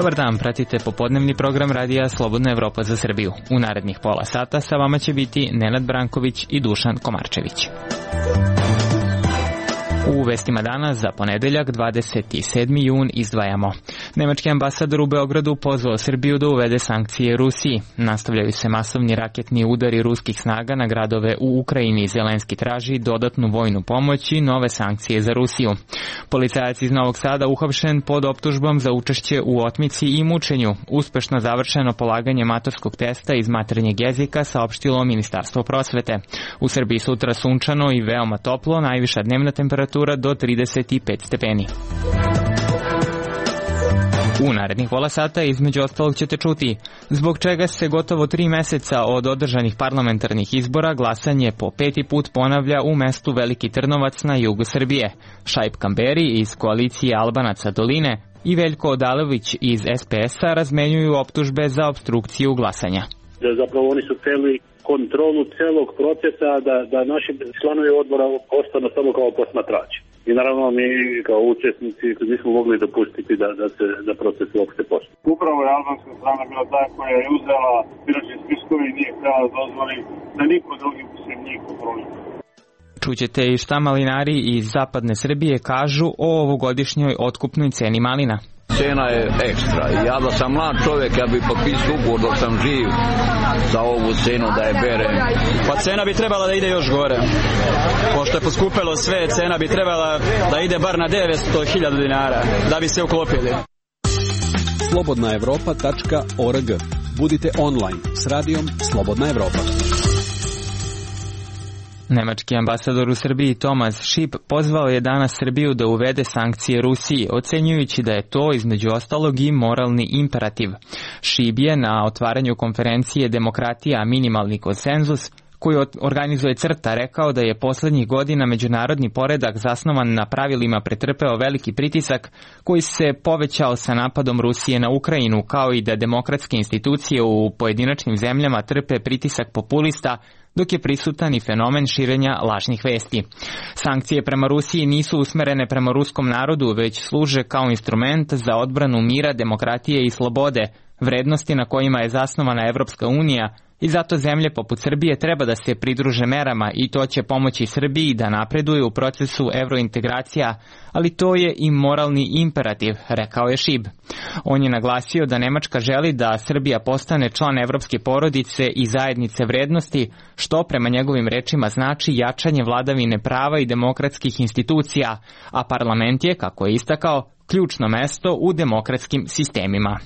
Dobar dan, pratite popodnevni program radija Slobodna Evropa za Srbiju. U narednih pola sata sa vama će biti Nenad Branković i Dušan Komarčević. U vestima danas za ponedeljak 27. jun izdvajamo. Nemački ambasador u Beogradu pozvao Srbiju da uvede sankcije Rusiji. Nastavljaju se masovni raketni udari ruskih snaga na gradove u Ukrajini. Zelenski traži dodatnu vojnu pomoć i nove sankcije za Rusiju. Policajac iz Novog Sada uhapšen pod optužbom za učešće u otmici i mučenju. Uspešno završeno polaganje maturskog testa iz maternjeg jezika, saopštilo Ministarstvo prosvete. U Srbiji sutra sunčano i veoma toplo, najviša dnevna temperatura do 35 stepeni. U narednih pola sata između ostalog ćete čuti zbog čega se gotovo 3 meseca od održanih parlamentarnih izbora glasanje po 5. put ponavlja u mestu Veliki Trnovac na jugu Srbije. Šaip Kamberi iz koalicije Albanaca Doline i Veljko Odalović iz SPS-a razmenjuju optužbe za opstrukciju glasanja. Zapravo oni su hteli kontrolu celog procesa, da naši članovi odbora ostanu samo kao posmatrači. I naravno mi kao učesnici nismo mogli dopustiti da proces uopšte počne. Upravo je albanska strana bila ta koja je uzela biračke spiskove i nije htjela da dozvoli da niko drugi sem njih kontroli. Čućete i šta malinari iz zapadne Srbije kažu o ovogodišnjoj otkupnoj ceni malina. Cena je ekstra. Ja da sam mlad čovjek, ja bih potpisao ugovor dok sam živ za ovu cenu da je berem. Pa cena bi trebala da ide još gore. Pošto je poskupelo sve, cena bi trebala da ide bar na 900.000 dinara da bi se uklopili. slobodnaevropa.org. Budite online s radijom Slobodna Evropa. Nemački ambasador u Srbiji Tomas Šip pozvao je danas Srbiju da uvede sankcije Rusiji, ocenjujući da je to između ostalog i moralni imperativ. Šip je na otvaranju konferencije Demokratija minimalni konsenzus, koju organizuje CRTA, rekao da je poslednjih godina međunarodni poredak zasnovan na pravilima pretrpeo veliki pritisak koji se povećao sa napadom Rusije na Ukrajinu, kao i da demokratske institucije u pojedinačnim zemljama trpe pritisak populista, dok je prisutan i fenomen širenja lažnih vesti. Sankcije prema Rusiji nisu usmerene prema ruskom narodu, već služe kao instrument za odbranu mira, demokratije i slobode, vrednosti na kojima je zasnovana Evropska unija, i zato zemlje poput Srbije treba da se pridruže merama i to će pomoći Srbiji da napreduje u procesu evrointegracija, ali to je i moralni imperativ, rekao je Šib. On je naglasio da Nemačka želi da Srbija postane član evropske porodice i zajednice vrednosti, što prema njegovim rečima znači jačanje vladavine prava i demokratskih institucija, a parlament je, kako je istakao, ključno mesto u demokratskim sistemima.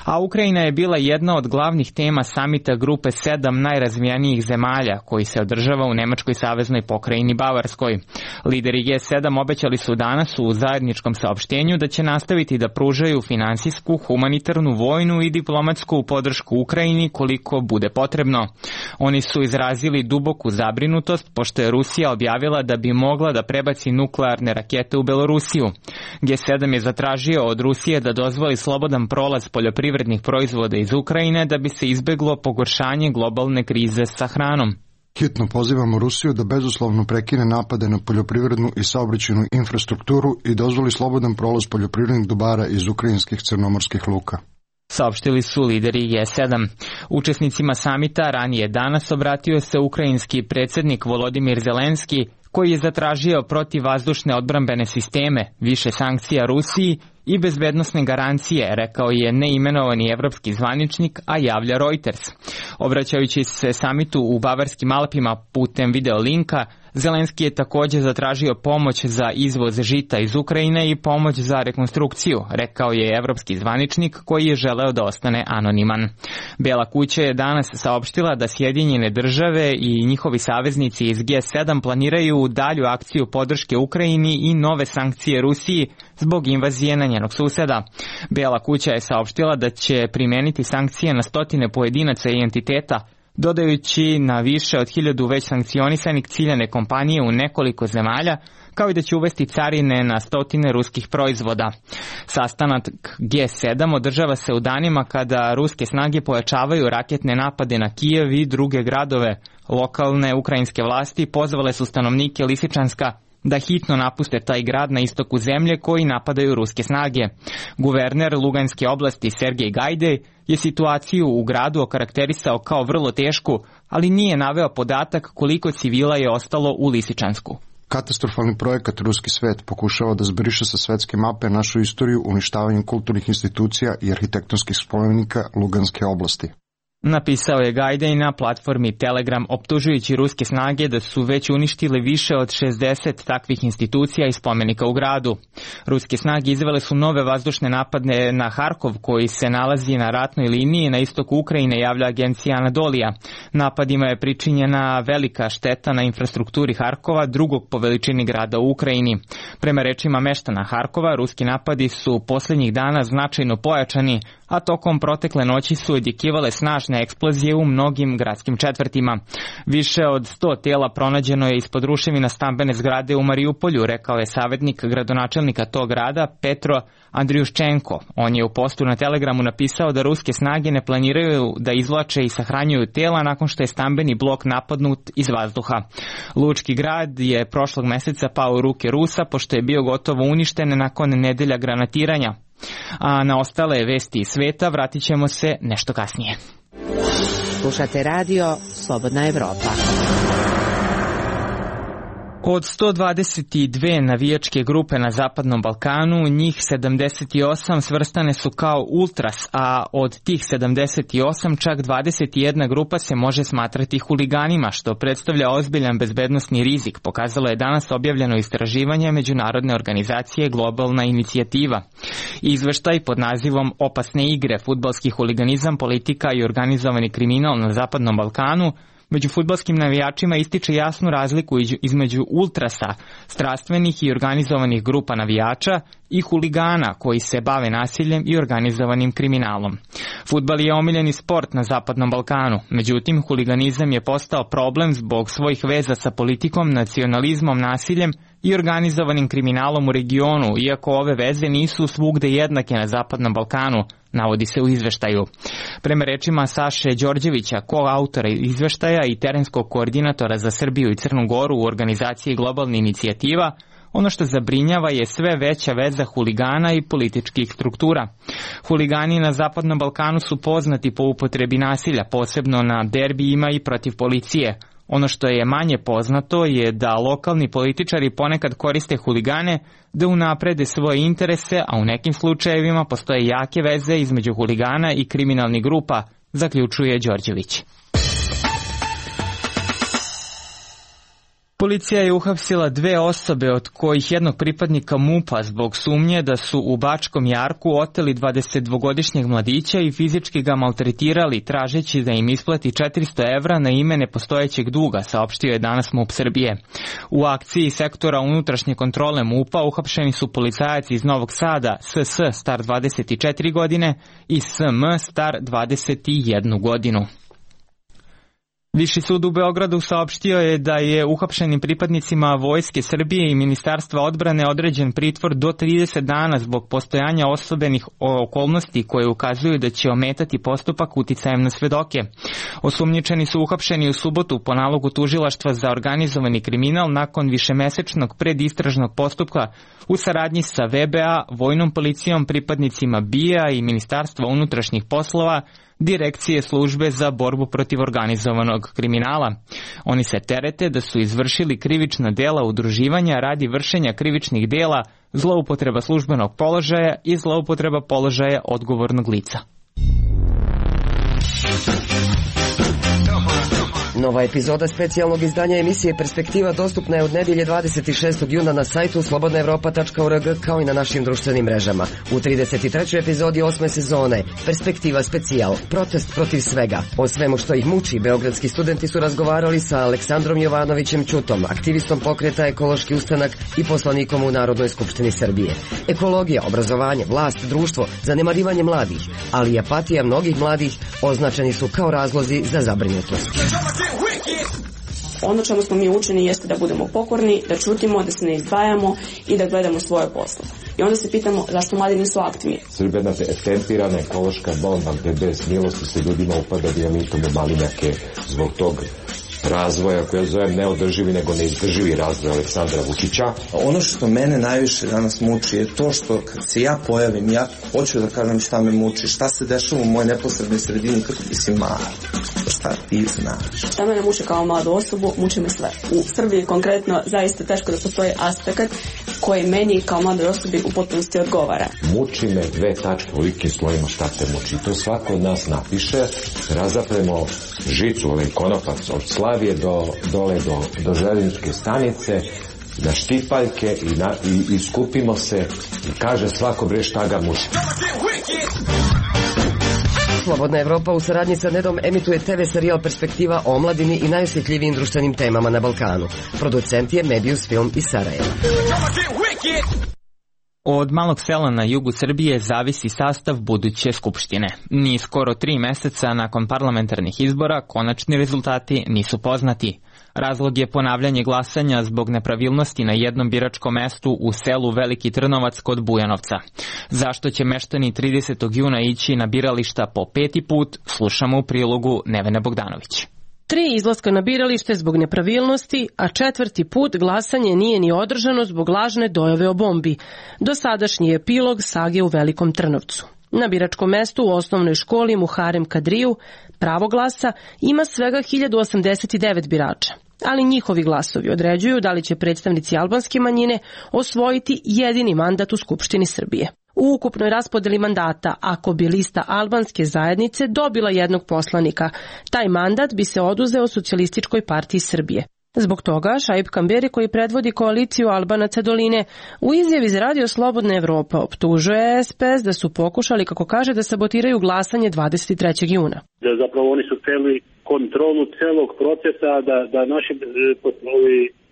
A Ukrajina je bila jedna od glavnih tema samita grupe 7 najrazvijenijih zemalja koji se održava u Nemačkoj saveznoj pokrajini Bavarskoj. Lideri G7 obećali su danas u zajedničkom saopštenju da će nastaviti da pružaju finansijsku, humanitarnu, vojnu i diplomatsku podršku Ukrajini koliko bude potrebno. Oni su izrazili duboku zabrinutost pošto je Rusija objavila da bi mogla da prebaci nuklearne rakete u Belorusiju. G7 je zatražio od Rusije da dozvoli slobodan prolaz poljoprivrednih proizvoda iz Ukrajine da bi se izbeglo pogoršanje globalne krize sa hranom. Hitno pozivamo Rusiju da bezuslovno prekine napade na poljoprivrednu i saobraćajnu infrastrukturu i dozvoli slobodan prolaz poljoprivrednih dobara iz ukrajinskih crnomorskih luka. Saopštili su lideri G7. Učesnicima samita ranije danas obratio se ukrajinski predsjednik Volodimir Zelenski, koji je zatražio protivvazdušne odbrambene sisteme, više sankcija Rusiji i bezbednosne garancije, rekao je neimenovani evropski zvaničnik, a javlja Reuters. Obraćajući se samitu u Bavarskim Alpima putem videolinka, Zelenski je također zatražio pomoć za izvoz žita iz Ukrajine i pomoć za rekonstrukciju, rekao je evropski zvaničnik koji je želeo da ostane anoniman. Bela kuća je danas saopštila da Sjedinjene države i njihovi saveznici iz G7 planiraju dalju akciju podrške Ukrajini i nove sankcije Rusiji zbog invazije na njenog suseda. Bela kuća je saopštila da će primeniti sankcije na stotine pojedinaca i entiteta, dodajući na više od 1000 već sankcionisanih ciljane kompanije u nekoliko zemalja, kao i da će uvesti carine na stotine ruskih proizvoda. Sastanak G7 održava se u danima kada ruske snage pojačavaju raketne napade na Kijev i druge gradove. Lokalne ukrajinske vlasti pozvale su stanovnike Lisičanska da hitno napuste taj grad na istoku zemlje koji napadaju ruske snage. Guverner Luganske oblasti Sergej Gajdej je situaciju u gradu okarakterisao kao vrlo tešku, ali nije naveo podatak koliko civila je ostalo u Lisičansku. Katastrofalni projekat Ruski svet pokušava da zbriše sa svetske mape našu istoriju uništavanjem kulturnih institucija i arhitektonskih spomenika Luganske oblasti. Napisao je Gajdej na platformi Telegram, optužujući ruske snage da su već uništile više od 60 takvih institucija i spomenika u gradu. Ruske snage izvele su nove vazdušne napade na Harkov, koji se nalazi na ratnoj liniji na istoku Ukrajine, javlja agencija Anadolija. Napadima je pričinjena velika šteta na infrastrukturi Harkova, drugog po veličini grada u Ukrajini. Prema rečima meštana Harkova, ruski napadi su posljednjih dana značajno pojačani, a tokom protekle noći su odjekivale snažne eksplozije u mnogim gradskim četvrtima. Više od 100 tela pronađeno je ispod ruševina stambene zgrade u Mariupolju, rekao je savjetnik gradonačelnika tog grada Petro Andriuščenko. On je u postu na Telegramu napisao da ruske snage ne planiraju da izvlače i sahranjuju tela nakon što je stambeni blok napadnut iz vazduha. Lučki grad je prošlog meseca pao u ruke Rusa pošto je bio gotovo uništen nakon nedelja granatiranja. A na ostale vesti iz sveta vratit ćemo se nešto kasnije. Slušate radio Slobodna Evropa. Od 122 navijačke grupe na Zapadnom Balkanu, njih 78 svrstane su kao ultras, a od tih 78 čak 21 grupa se može smatrati huliganima, što predstavlja ozbiljan bezbednosni rizik, pokazalo je danas objavljeno istraživanje međunarodne organizacije Globalna inicijativa. Izveštaj pod nazivom Opasne igre, fudbalski huliganizam, politika i organizovani kriminal na Zapadnom Balkanu među fudbalskim navijačima ističe jasnu razliku između ultrasa, strastvenih i organizovanih grupa navijača, i huligana koji se bave nasiljem i organizovanim kriminalom. Fudbal je omiljeni sport na Zapadnom Balkanu, međutim huliganizam je postao problem zbog svojih veza sa politikom, nacionalizmom, nasiljem i organizovanim kriminalom u regionu, iako ove veze nisu svugde jednake na Zapadnom Balkanu, navodi se u izveštaju. Prema rečima Saše Đorđevića, koautora izveštaja i terenskog koordinatora za Srbiju i Crnu Goru u organizaciji Globalna inicijativa, ono što zabrinjava je sve veća veza huligana i političkih struktura. Huligani na Zapadnom Balkanu su poznati po upotrebi nasilja, posebno na derbijima i protiv policije. Ono što je manje poznato je da lokalni političari ponekad koriste huligane da unaprede svoje interese, a u nekim slučajevima postoje jake veze između huligana i kriminalnih grupa, zaključuje Đorđević. Policija je uhapsila 2 osobe, od kojih jednog pripadnika MUP-a zbog sumnje da su u Bačkom Jarku oteli 22-godišnjeg mladića i fizički ga maltretirali, tražeći da im isplati 400 evra na ime nepostojećeg duga, saopštio je danas MUP Srbije. U akciji sektora unutrašnje kontrole MUP-a uhapšeni su policajac iz Novog Sada, SS star 24 godine i SM star 21 godinu. Viši sud u Beogradu saopštio je da je uhapšenim pripadnicima Vojske Srbije i Ministarstva odbrane određen pritvor do 30 dana zbog postojanja osobenih okolnosti koje ukazuju da će ometati postupak uticajem na svedoke. Osumnjičeni su uhapšeni u subotu po nalogu tužilaštva za organizovani kriminal nakon višemesečnog predistražnog postupka u saradnji sa VBA, Vojnom policijom, pripadnicima BIA i Ministarstva unutrašnjih poslova, Direkcije službe za borbu protiv organizovanog kriminala. Oni se terete da su izvršili krivična dela udruživanja radi vršenja krivičnih dela, zloupotreba službenog položaja i zloupotreba položaja odgovornog lica. Nova epizoda specijalnog izdanja emisije Perspektiva dostupna je od nedelje 26. juna na sajtu slobodnaevropa.org kao i na našim društvenim mrežama. U 33. epizodi 8. sezone Perspektiva specijal, protest protiv svega. O svemu što ih muči, beogradski studenti su razgovarali sa Aleksandrom Jovanovićem Ćutom, aktivistom pokreta Ekološki ustanak i poslanikom u Narodnoj skupštini Srbije. Ekologija, obrazovanje, vlast, društvo, zanemarivanje mladih, ali i apatija mnogih mladih označeni su kao razlozi za zabrinutost. Ono čemu smo mi učeni jeste da budemo pokorni, da ćutimo, da se ne izdvajamo i da gledamo svoje posle. I onda se pitamo zašto mladi nisu aktivni. Srbija je tempirana ekološka bomba gde bez milosti se ljudima upada dijamitom u malinjake zbog tog razvoja koji ja zovem neodrživi nego neizdrživi razvoj Aleksandra Vučića. Ono što mene najviše danas muči je to što kad se ja pojavim, ja hoću da kažem šta me muči, šta se dešava u mojoj neposrednoj sredini, kako ti si mala, šta ti znaš. Šta mene muči kao mladu osobu, muči me sve. U Srbiji konkretno zaista teško da postoji aspekt koji meni kao mladoj osobi u potpunosti odgovara. Muči me 2 tačke u velikim slovima šta te muči. To svako od nas napiše, razapremo žicu, ovaj konopac od Slavije do željezničke stanice, na štipaljke i skupimo se i kaže svako bre šta ga muči. Slobodna Evropa u saradnji sa Nedom emituje TV serijal Perspektiva o omladini i najosjetljivijim društvenim temama na Balkanu. Producent je Medius Film iz Sarajeva. Od malog sela na jugu Srbije zavisi sastav buduće skupštine. Ni skoro 3 meseca nakon parlamentarnih izbora konačni rezultati nisu poznati. Razlog je ponavljanje glasanja zbog nepravilnosti na jednom biračkom mestu u selu Veliki Trnovac kod Bujanovca. Zašto će meštani 30. juna ići na birališta po 5. put, slušamo u prilogu Nevene Bogdanović. 3 izlaska na biralište zbog nepravilnosti, a 4. put glasanje nije ni održano zbog lažne dojave o bombi. Dosadašnji epilog sage u Velikom Trnovcu. Na biračkom mestu u osnovnoj školi Muharem Kadriju pravo glasa ima svega 1089 birača, ali njihovi glasovi određuju da li će predstavnici albanske manjine osvojiti jedini mandat u Skupštini Srbije. U ukupnoj raspodeli mandata, ako bi lista albanske zajednice dobila jednog poslanika, taj mandat bi se oduzeo Socijalističkoj partiji Srbije. Zbog toga Šaip Kamberi, koji predvodi koaliciju Albanaca doline, u izjavi za Radio Slobodna Evropa optužuje SPS da su pokušali, kako kaže, da sabotiraju glasanje 23. juna. Zapravo oni su hteli kontrolu celog procesa da naši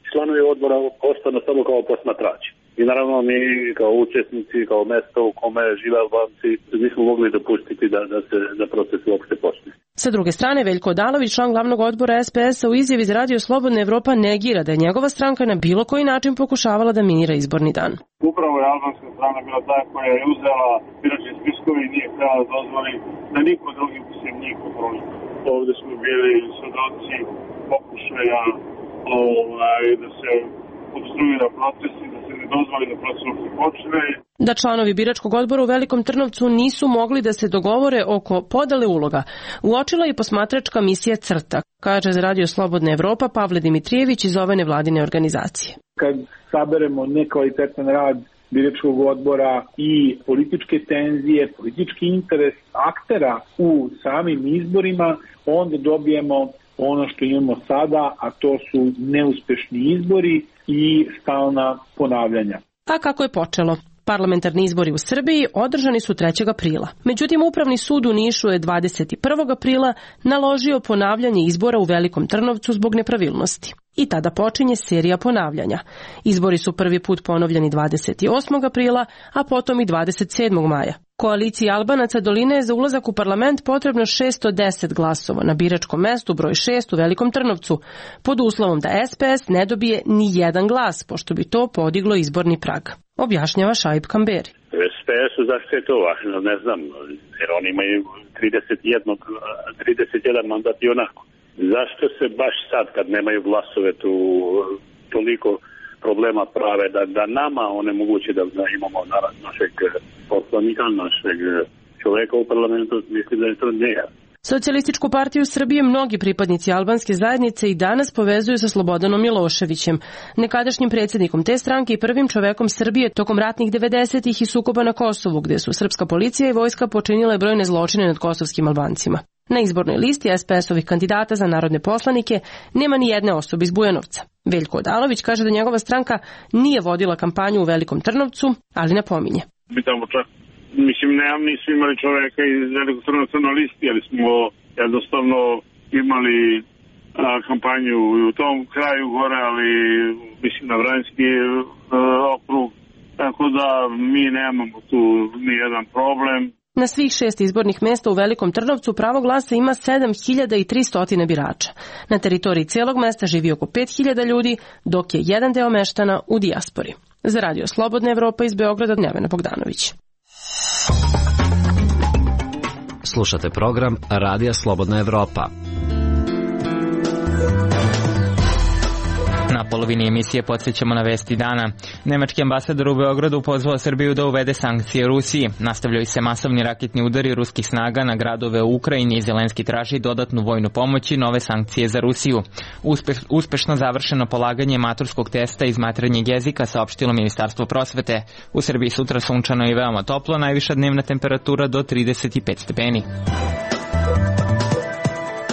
članovi odbora ostanu samo kao posmatrači. I naravno mi kao učesnici, kao mesto u kome žive Albanci, nismo mogli dopustiti da proces uopšte počne. Sa druge strane, Veljko Odalović, član glavnog odbora SPS-a, u izjavi za Radio Slobodna Evropa negira da je njegova stranka na bilo koji način pokušavala da minira izborni dan. Upravo je albanska strana bila ta koja je uzela biračke spiskove i nije htjela da dozvoli da niko drugi se njih kontroli. Ovde smo bili svedoci pokušaja da se obstruira proces i da se ne dozvoli da proces se počne. Da članovi biračkog odbora u Velikom Trnovcu nisu mogli da se dogovore oko podele uloga, uočila i posmatračka misija CRTA, kaže za Radio Slobodna Evropa Pavle Dimitrijević iz ove nevladine organizacije. Kad saberemo nekvalitetan rad biračkog odbora i političke tenzije, politički interes aktera u samim izborima, onda dobijemo ono što imamo sada, a to su neuspešni izbori i stalna ponavljanja. A kako je počelo? Parlamentarni izbori u Srbiji održani su 3. aprila. Međutim, Upravni sud u Nišu je 21. aprila naložio ponavljanje izbora u Velikom Trnovcu zbog nepravilnosti. I tada počinje serija ponavljanja. Izbori su prvi put ponovljeni 28. aprila, a potom i 27. maja. Koaliciji Albanaca doline je za ulazak u parlament potrebno 610 glasova na biračkom mestu broj 6 u Velikom Trnovcu, pod uslovom da SPS ne dobije ni jedan glas, pošto bi to podiglo izborni prag. Objašnjava Šaip Kamberi. SPS-u zašto je to važno, ne znam, jer oni imaju 31 mandat i onako. Zašto se baš sad, kad nemaju glasove, tu toliko problema prave, da nama onemoguće da imamo našeg poslanika, našeg čoveka u parlamentu, mislim da je to njega. Socijalističku partiju Srbije mnogi pripadnici albanske zajednice i danas povezuju sa Slobodanom Miloševićem, nekadašnjim predsjednikom te stranke i prvim čovekom Srbije tokom ratnih 90-ih i sukoba na Kosovu, gde su srpska policija i vojska počinile brojne zločine nad kosovskim Albancima. Na izbornoj listi SPS-ovih kandidata za narodne poslanike nema ni jedne osobe iz Bujanovca. Veljko Odalović kaže da njegova stranka nije vodila kampanju u Velikom Trnovcu, ali napominje. Mi tamo čak, nismo imali čoveka iz Velikog Trnovca na listi, ali smo jednostavno imali kampanju u tom kraju gore, ali mislim na Vranjski okrug, tako da mi nemamo tu ni jedan problem. Na svih 6 izbornih mesta u Velikom Trnovcu pravo glasa ima 7300 birača. Na teritoriji cijelog mesta živi oko 5000 ljudi, dok je jedan deo meštana u dijaspori. Za Radio Slobodna Evropa iz Beograda, Nevena Bogdanović. Slušate program Radija Slobodna Evropa. polovini emisije podsjećamo na vesti dana. Nemački ambasador u Beogradu pozvao Srbiju da uvede sankcije Rusiji. Nastavljaju se masovni raketni udari ruskih snaga na gradove u Ukrajini i Zelenski traži dodatnu vojnu pomoć i nove sankcije za Rusiju. Uspešno završeno polaganje maturskog testa iz maternjeg jezika, saopštilo Ministarstvo prosvete. U Srbiji sutra sunčano i veoma toplo, najviša dnevna temperatura do 35 stepeni.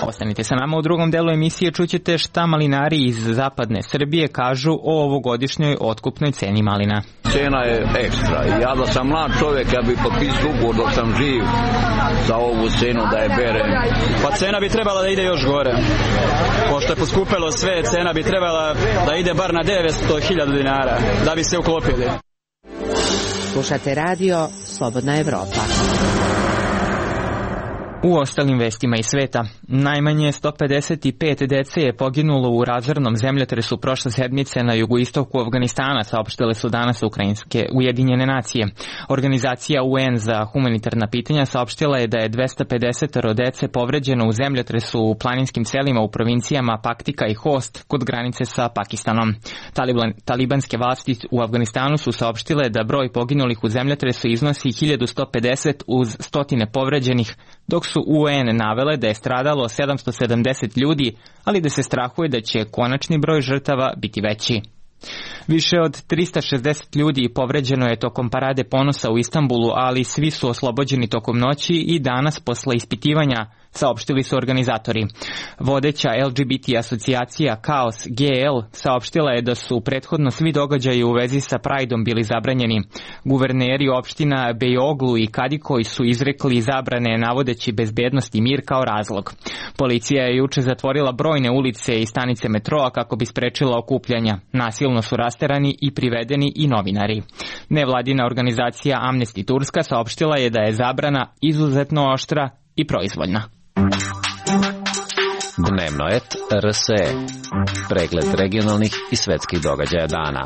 Ostanite sa nama, u drugom delu emisije čućete šta malinari iz zapadne Srbije kažu o ovogodišnjoj otkupnoj ceni malina. Cena je ekstra. Ja da sam mlad čovjek, ja bi potpisao ugovor dok sam živ za ovu cenu da je berem. Pa cena bi trebala da ide još gore. Pošto je poskupelo sve, cena bi trebala da ide bar na 900.000 dinara da bi se uklopili. Slušate radio Slobodna Evropa. U ostalim vestima iz sveta, najmanje 155 dece je poginulo u razornom zemljotresu prošle sedmice na jugoistoku Afganistana, saopštile su danas ukrajinske Ujedinjene nacije. Organizacija UN za humanitarna pitanja saopštila je da je 250 dece povređeno u zemljotresu u planinskim selima u provincijama Paktika i Host kod granice sa Pakistanom. Talibanske vlasti u Afganistanu su saopštile da broj poginulih u zemljotresu iznosi 1150 uz stotine povređenih, dok su UN navele da je stradalo 770 ljudi, ali da se strahuje da će konačni broj žrtava biti veći. Više od 360 ljudi povređeno je tokom parade ponosa u Istanbulu, ali svi su oslobođeni tokom noći i danas posle ispitivanja, saopštili su organizatori. Vodeća LGBT asocijacija Kaos GL saopštila je da su prethodno svi događaji u vezi sa Prideom bili zabranjeni. Guverneri opština Bejoglu i Kadikoj su izrekli zabrane navodeći bezbednost i mir kao razlog. Policija je juče zatvorila brojne ulice i stanice metroa kako bi sprečila okupljanja. Nasilno su rasterani i privedeni i novinari. Nevladina organizacija Amnesty Turska saopštila je da je zabrana izuzetno oštra i proizvoljna. Dnevno et RSE. Pregled regionalnih i svetskih događaja dana.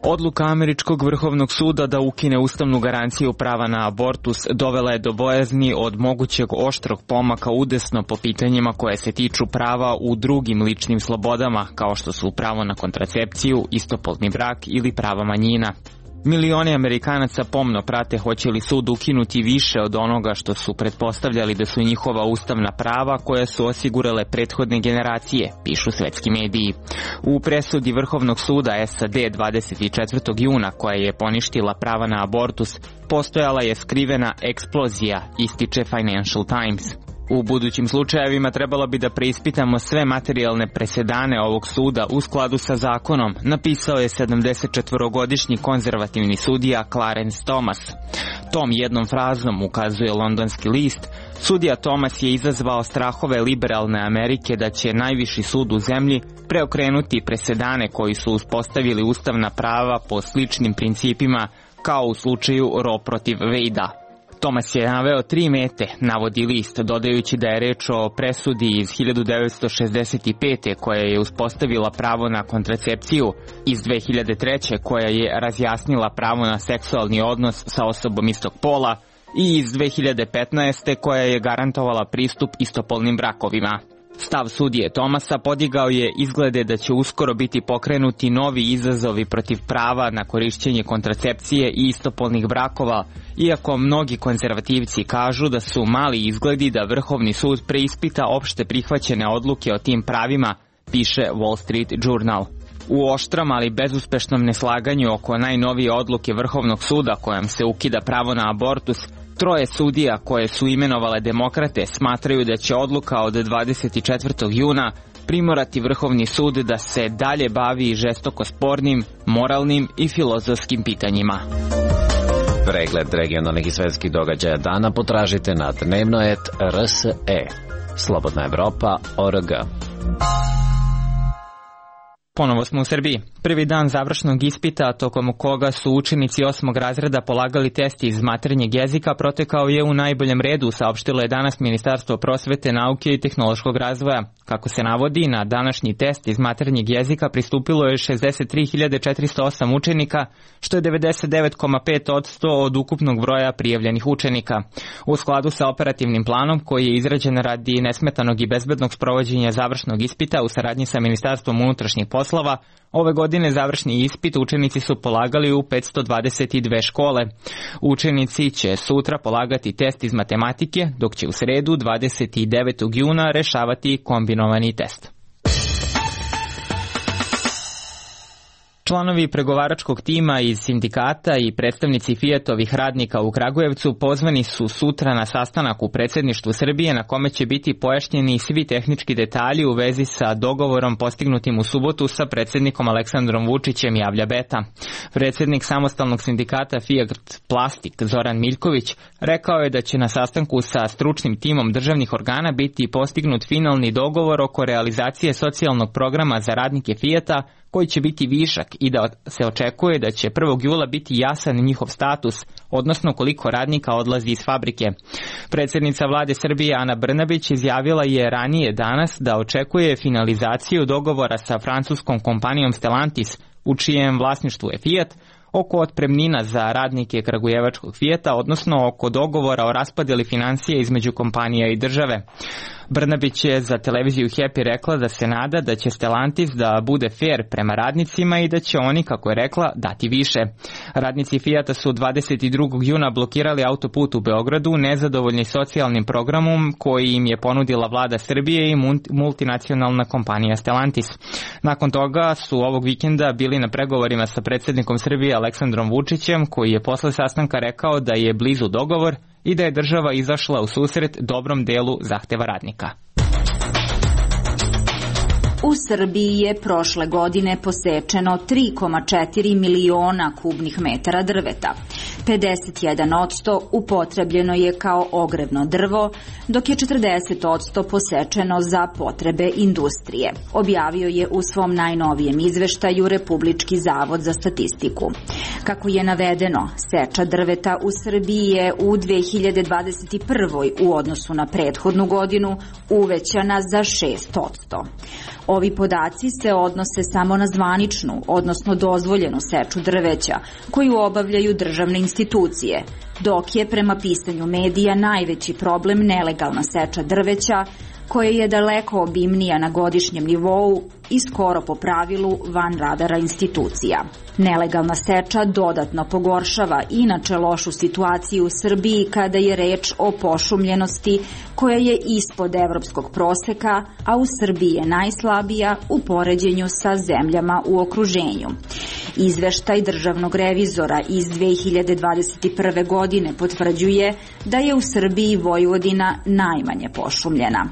Odluka Američkog vrhovnog suda da ukine ustavnu garanciju prava na abortus dovela je do bojazni od mogućeg oštrog pomaka udesno po pitanjima koje se tiču prava u drugim ličnim slobodama, kao što su pravo na kontracepciju, istopolni brak ili prava manjina. Milioni Amerikanaca pomno prate hoće li sud ukinuti više od onoga što su pretpostavljali da su njihova ustavna prava koja su osigurale prethodne generacije, pišu svetski mediji. U presudi Vrhovnog suda SAD 24. juna koja je poništila prava na abortus, postojala je skrivena eksplozija, ističe Financial Times. U budućim slučajevima trebalo bi da preispitamo sve materijalne presedane ovog suda u skladu sa zakonom, napisao je 74-godišnji konzervativni sudija Clarence Thomas. Tom jednom frazom, ukazuje londonski list, sudija Thomas je izazvao strahove liberalne Amerike da će najviši sud u zemlji preokrenuti presedane koji su uspostavili ustavna prava po sličnim principima kao u slučaju Roe protiv Wade-a. Thomas je naveo 3 mete, navodi list, dodajući da je reč o presudi iz 1965. koja je uspostavila pravo na kontracepciju, iz 2003. koja je razjasnila pravo na seksualni odnos sa osobom istog pola i iz 2015. koja je garantovala pristup istopolnim brakovima. Stav sudije Thomasa podigao je izglede da će uskoro biti pokrenuti novi izazovi protiv prava na korišćenje kontracepcije i istopolnih brakova, iako mnogi konzervativci kažu da su mali izgledi da Vrhovni sud preispita opšte prihvaćene odluke o tim pravima, piše Wall Street Journal. U oštrom, ali bezuspešnom neslaganju oko najnovije odluke Vrhovnog suda kojom se ukida pravo na abortus, 3 sudija koje su imenovale demokrate smatraju da će odluka od 24. juna primorati Vrhovni sud da se dalje bavi žestoko spornim, moralnim i filozofskim pitanjima. Pregled regionalnih i svetskih događaja dana potražite na dnevnoet.rse. Slobodna Evropa.org. Ponovo smo u Srbiji. Prvi dan završnog ispita, tokom koga su učenici 8. razreda polagali test iz maternjeg jezika, protekao je u najboljem redu, saopštilo je danas Ministarstvo prosvete, nauke i tehnološkog razvoja. Kako se navodi, na današnji test iz maternjeg jezika pristupilo je 63.408 učenika, što je 99,5% od ukupnog broja prijavljenih učenika. U skladu sa operativnim planom, koji je izrađen radi nesmetanog i bezbednog sprovođenja završnog ispita u saradnji sa Ministarstvom unutrašnjih poslova, ove godine završni ispit učenici su polagali u 522 škole. Učenici će sutra polagati test iz matematike, dok će u sredu 29. juna rešavati kombinovani test. Članovi pregovaračkog tima iz sindikata i predstavnici Fiatovih radnika u Kragujevcu pozvani su sutra na sastanak u predsjedništvu Srbije, na kome će biti pojašnjeni svi tehnički detalji u vezi sa dogovorom postignutim u subotu sa predsjednikom Aleksandrom Vučićem, javlja Beta. Predsjednik samostalnog sindikata Fiat Plastik Zoran Miljković rekao je da će na sastanku sa stručnim timom državnih organa biti postignut finalni dogovor oko realizacije socijalnog programa za radnike Fiata, koji će biti višak i da se očekuje da će 1. jula biti jasan njihov status, odnosno koliko radnika odlazi iz fabrike. Predsjednica vlade Srbije Ana Brnabić izjavila je ranije danas da očekuje finalizaciju dogovora sa francuskom kompanijom Stellantis, u čijem vlasništvu je Fiat, oko otpremnina za radnike kragujevačkog Fijata, odnosno oko dogovora o raspodjeli financija između kompanija i države. Brnabić je za televiziju Happy rekla da se nada da će Stellantis da bude fair prema radnicima i da će oni, kako je rekla, dati više. Radnici Fijata su 22. juna blokirali autoput u Beogradu, nezadovoljni socijalnim programom koji im je ponudila vlada Srbije i multinacionalna kompanija Stellantis. Nakon toga su ovog vikenda bili na pregovorima sa predsjednikom Srbije Aleksandrom Vučićem, koji je posle sastanka rekao da je blizu dogovor i da je država izašla u susret dobrom delu zahteva radnika. U Srbiji je prošle godine posečeno 3,4 miliona kubnih metara drveta. 51% upotrebljeno je kao ogrevno drvo, dok je 40% posečeno za potrebe industrije, objavio je u svom najnovijem izveštaju Republički zavod za statistiku. Kako je navedeno, seča drveta u Srbiji je u 2021. u odnosu na prethodnu godinu uvećana za 6%. Ovi podaci se odnose samo na zvaničnu, odnosno dozvoljenu seču drveća, koju obavljaju državne institucije, dok je prema pisanju medija najveći problem nelegalna seča drveća, koja je daleko obimnija na godišnjem nivou i skoro po pravilu van radara institucija. Nelegalna seča dodatno pogoršava inače lošu situaciju u Srbiji kada je reč o pošumljenosti koja je ispod evropskog proseka, a u Srbiji je najslabija u poređenju sa zemljama u okruženju. Izveštaj državnog revizora iz 2021. godine potvrđuje da je u Srbiji Vojvodina najmanje pošumljena.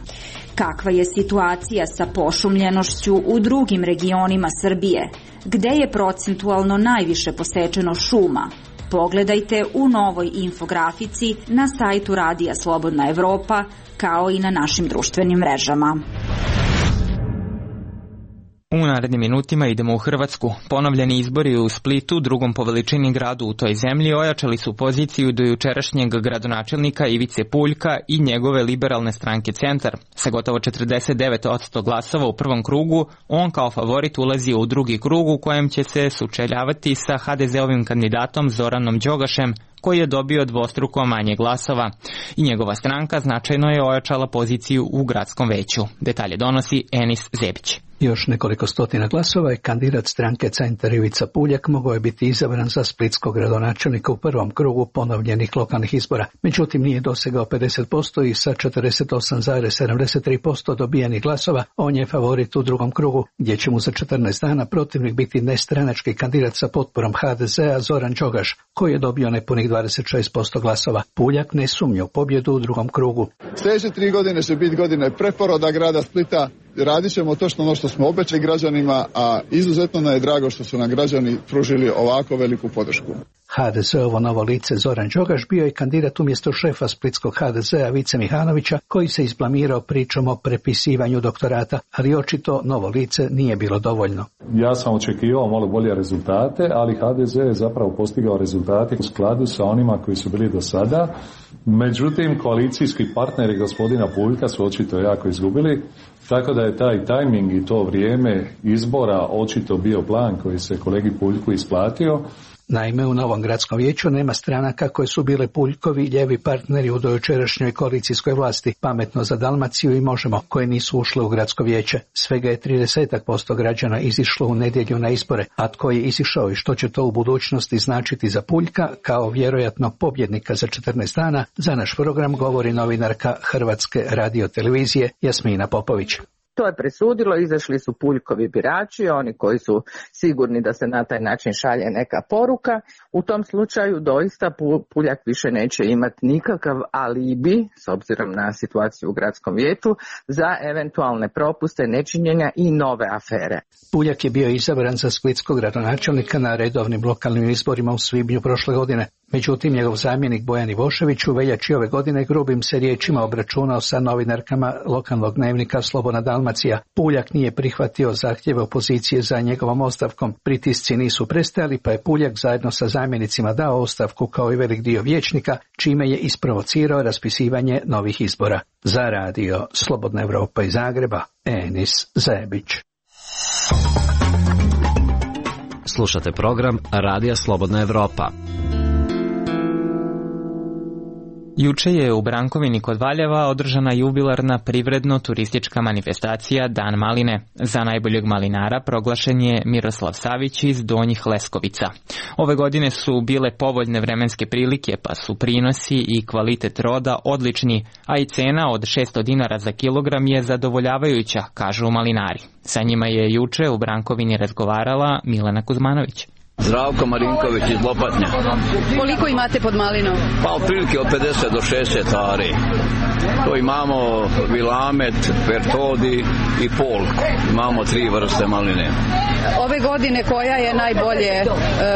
Kakva je situacija sa pošumljenošću u drugim regionima Srbije, gde je procentualno najviše posečeno šuma? Pogledajte u novoj infografici na sajtu Radija Slobodna Evropa, kao i na našim društvenim mrežama. U narednim minutima idemo u Hrvatsku. Ponovljeni izbori u Splitu, drugom po veličini gradu u toj zemlji, ojačali su poziciju do jučerašnjeg gradonačelnika Ivice Puljka i njegove liberalne stranke Centar. Sa gotovo 49% glasova u prvom krugu, on kao favorit ulazi u drugi krug u kojem će se sučeljavati sa HDZ-ovim kandidatom Zoranom Đogašem, koji je dobio dvostruko manje glasova. I njegova stranka značajno je ojačala poziciju u gradskom veću. Detalje donosi Enis Zebić. Još nekoliko stotina glasova i kandidat stranke Centar Ivica Puljak mogao je biti izabran za splitskog gradonačelnika u prvom krugu ponovljenih lokalnih izbora. Međutim, nije dosegao 50% i sa 48,73% dobijenih glasova on je favorit u drugom krugu, gdje će mu za 14 dana protivnik biti nestranački kandidat sa potporom HDZ-a Zoran Đogaš, koji je dobio nepunih 26% glasova. Puljak ne sumnja u pobjedu u drugom krugu. Sljedeće 3 godine će biti godine preporoda grada Splita. Radit ćemo točno ono što smo obećali građanima, a izuzetno nam je drago što su nam građani pružili ovako veliku podršku. HDZ-ovo novo lice Zoran Đogaš bio je kandidat umjesto šefa splitskog HDZ-a Vice Mihanovića, koji se izblamirao pričom o prepisivanju doktorata, ali očito novo lice nije bilo dovoljno. Ja sam očekivao malo bolje rezultate, ali HDZ je zapravo postigao rezultate u skladu sa onima koji su bili do sada. Međutim, koalicijski partneri gospodina Puljka su očito jako izgubili, tako da je taj tajming i to vrijeme izbora očito bio plan koji se kolegi Puljku isplatio. Naime, u novom gradskom vijeću nema stranaka koje su bile Puljkovi ljevi partneri u dojučerašnjoj koalicijskoj vlasti, Pametno za Dalmaciju i Možemo, koje nisu ušle u gradsko vijeće. Svega je 30% građana izišlo u nedjelju na izbore, a tko je izišao i što će to u budućnosti značiti za Puljka, kao vjerojatno pobjednika za 14 dana, za naš program govori novinarka Hrvatske radiotelevizije Jasmina Popović. To je presudilo, izašli su Puljkovi birači, oni koji su sigurni da se na taj način šalje neka poruka. U tom slučaju doista Puljak više neće imati nikakav alibi, s obzirom na situaciju u gradskom vijeću, za eventualne propuste, nečinjenja i nove afere. Puljak je bio izabran za splitskog gradonačelnika na redovnim lokalnim izborima u svibnju prošle godine. Međutim, njegov zamjenik Bojan Ivošević u veljači ove godine grubim se riječima obračunao sa novinarkama lokalnog dnevnika Slobodna Dalmacija. Puljak nije prihvatio zahtjeve opozicije za njegovom ostavkom. Pritisci nisu prestajali, pa je Puljak zajedno sa zamjenicima dao ostavku kao i velik dio vijećnika, čime je isprovocirao raspisivanje novih izbora. Za radio Slobodna Evropa iz Zagreba, Enis Zebić. Slušate program Radija Slobodna Evropa. Juče je u Brankovini kod Valjeva održana jubilarna privredno-turistička manifestacija Dan maline. Za najboljeg malinara proglašen je Miroslav Savić iz Donjih Leskovica. Ove godine su bile povoljne vremenske prilike, pa su prinosi i kvalitet roda odlični, a i cena od 600 dinara za kilogram je zadovoljavajuća, kažu malinari. Sa njima je juče u Brankovini razgovarala Milena Kuzmanović. Zdravko Marinković iz Lopatnja. Koliko imate pod malinom? Pa otprilike od 50 do 60 ari. To imamo Vilamet, Pertodi i Polku. Imamo 3 vrste maline. Ove godine koja je najbolje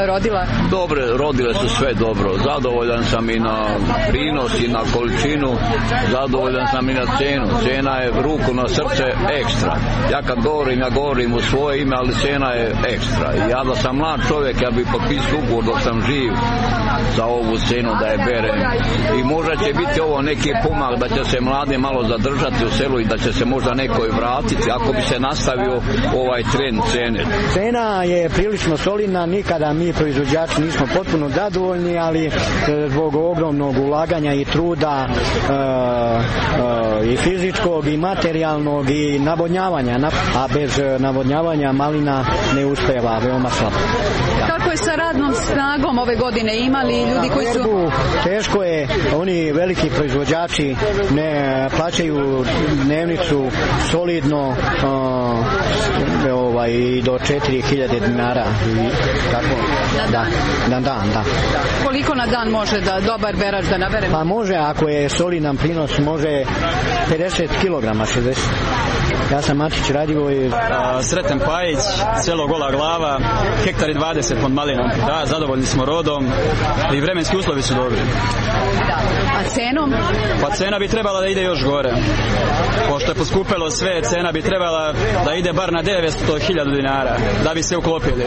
rodila? Dobre, rodile su sve dobro. Zadovoljan sam i na prinos i na količinu. Zadovoljan sam i na cenu. Cena je ruku na srce ekstra. Ja kad govorim u svoje ime, ali cena je ekstra. Ja da sam mlad čovjek, ja bih potpisao ugovor dok sam živ za ovu cenu da je berem. I možda će biti ovo neki pomak da će se mladi malo zadržati u selu i da će se možda neko i vratiti ako bi se nastavio ovaj trend cene. Cena je prilično solidna, nikada mi proizvođači nismo potpuno zadovoljni, ali zbog ogromnog ulaganja i truda i fizičkog i materijalnog i navodnjavanja, a bez navodnjavanja malina ne uspeva, veoma slabo. Kako je sa radnom snagom ove godine, imali ljudi koji su... Teško je, oni veliki proizvođači ne plaćaju dnevnicu solidno i do 4000 dinara. Tako, na dan. Koliko na dan može da dobar berač da nabere? Pa može, ako je solidan prinos, može 50 kilograma, 60. Ja sam Matić Radivoj. Sreten Pajić, selo Gola Glava, hektar i 20 pod malinom. Da, zadovoljni smo rodom i vremenski uslovi su dobri. A cenom? Pa cena bi trebala da ide još gore. Pošto je poskupelo sve, cena bi trebala da ide bar na 900.000 dinara, da bi se uklopili.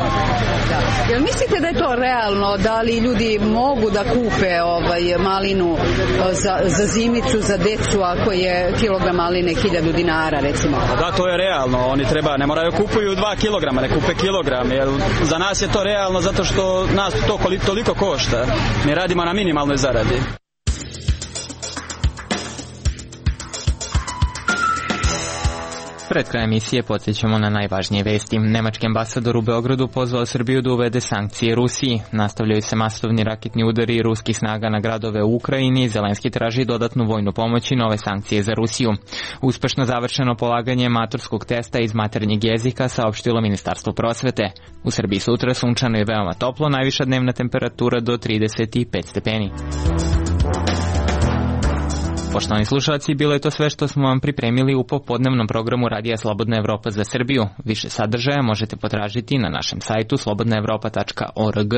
Jel mislite da je to realno? Da li ljudi mogu da kupe malinu za zimnicu, za decu, ako je kilogram maline 1000 dinara, recimo? Da, to je realno. Oni ne moraju kupuju 2 kilograma, ne kupe kilogram. Jer za nas je to realno zato što nas to toliko košta. Mi radimo na minimalnoj zaradi. Pred krajem emisije podsjećamo na najvažnije vesti. Nemački ambasador u Beogradu pozvao Srbiju da uvede sankcije Rusiji. Nastavljaju se masovni raketni udari ruskih snaga na gradove u Ukrajini. Zelenski traži dodatnu vojnu pomoć i nove sankcije za Rusiju. Uspešno završeno polaganje maturskog testa iz maternjeg jezika, saopštilo Ministarstvo prosvete. U Srbiji sutra sunčano i veoma toplo, najviša dnevna temperatura do 35 stepeni. Poštovani slušalci, bilo je to sve što smo vam pripremili u popodnevnom programu Radija Slobodna Evropa za Srbiju. Više sadržaja možete potražiti na našem sajtu slobodnaevropa.org.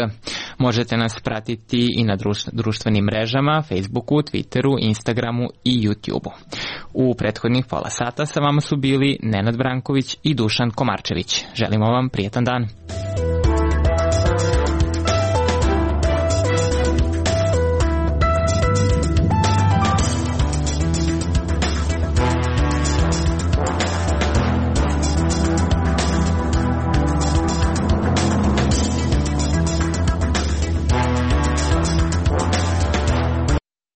Možete nas pratiti i na društvenim mrežama, Facebooku, Twitteru, Instagramu i YouTubeu. U prethodnih pola sata sa vama su bili Nenad Branković i Dušan Komarčević. Želimo vam prijetan dan.